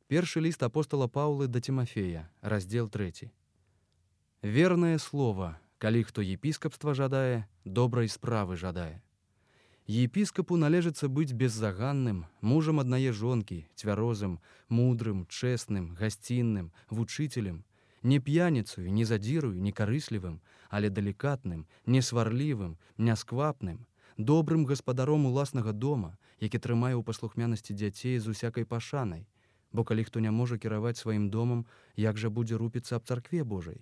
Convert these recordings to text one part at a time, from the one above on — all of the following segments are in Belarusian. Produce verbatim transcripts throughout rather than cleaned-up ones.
Першы ліст апостала Паўлы да Тимофея, раздзел трэці. Вернае слово, калі хто епіскапства жадае, добрай справы жадае. Епіскапу належыцца быць беззаганным, мужам аднае жонкі, цвярозым, мудрым, чэсным, гасцінным, вучителем, не п'яніцаю, не задзірую, не карыслівым, але далікатным, несварлівым, нясквапным, добрым гаспадаром уласнага дома, які трымае ў паслухмянасці дзяцей з усякай пашанай, бо калі хто не можа кіраваць сваім домам, як жа будзе рупіцца аб царкве Божай?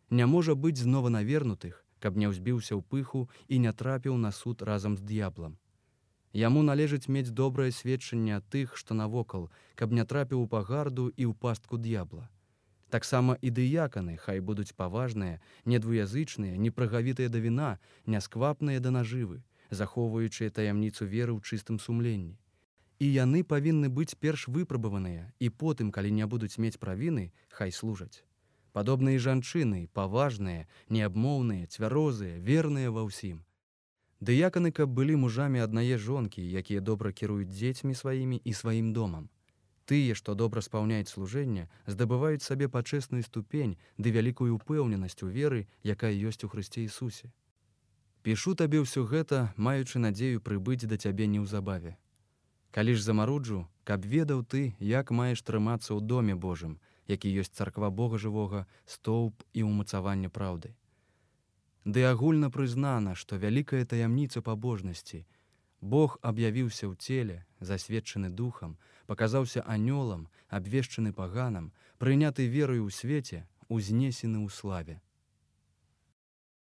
Не можа быць з нованавернутых, каб не ўзбіўся ў пыху і не трапіў на суд разам з д'яблам. Яму належыць мець добрае сведчанне ад тых, што навокал, каб не трапіў у пагарду і ў пастку д'ябла. Таксама і дыяканы хай будуць паважныя, недвуязычныя, непрагавітыя да віна, нясквапныя да нажывы, захоўваючыя таямніцу веры ў чыстым сумленні. І яны павінны быць перш выпрабаваныя, і потым, калі не будуць мець правіны, хай служаць. Падобныя жанчыны, паважныя, неабмоўныя, цвярозыя, верныя ва ўсім. Дыяканы, каб былі мужамі аднае жонкі, якія добра кіруюць дзецьмі сваімі і сваім домам. Тыя, што добра спаўняюць служэнне, здабываюць сабе пачэсную ступень ды вялікую ўпэўненасць у веры, якая ёсць у Хрысце Ісусе. Пішу табе ўсё гэта, маючы надзею прыбыць да цябе неўзабаве. Калі ж замаруджу, каб ведаў ты, як маеш трымацца ў доме Божым, які ёсць царква Бога жывога, стоўб і ўмацаванне праўды. Ды агульна прызнана, што вялікая таямніца пабожнасці. Бог аб'явіўся ў целе, засведчаны духам, паказаўся анёлам, абвешчаны паганам, прыняты верою ў свеце, узнесены ў славе.